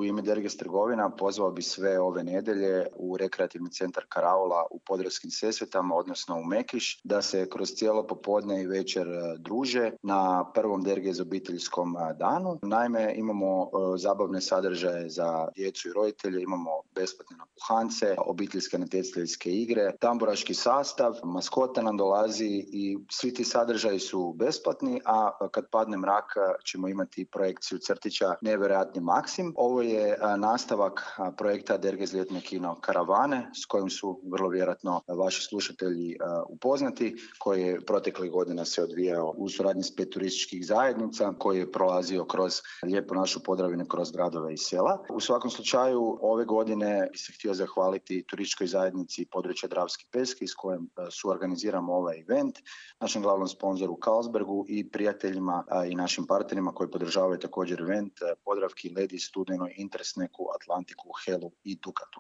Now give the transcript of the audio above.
U ime Derges trgovina pozvao bi sve ove nedjelje u rekreativni centar Karaula u Podravskim Sesvetama, odnosno u Mekiš, da se kroz cijelo popodne i večer druže na prvom Derges obiteljskom danu. Naime, imamo zabavne sadržaje za djecu i roditelje, imamo besplatne napuhance, obiteljske natjecateljske igre, tamburaški sastav, maskota nam dolazi i svi ti sadržaji su besplatni, a kad padne mrak ćemo imati projekciju crtića Nevjerojatni Maksim. Ovo je nastavak projekta Derges ljetne kino karavane s kojim su vrlo vjerojatno vaši slušatelji upoznati, koji je protekle godina se odvijao u suradnji s 5 turističkih zajednica, koji je prolazio kroz lijepu našu Podravinu, kroz gradove i sela. U svakom slučaju ove godine bi se htio zahvaliti turističkoj zajednici područja Dravski Peski s kojim suorganiziramo ovaj event, našem glavnom sponzoru Carlsbergu i prijateljima i našim partnerima koji podržavaju također event Podravki, Ledi, Studenoj, Interesneku, Atlantiku, Helu i Dukatu.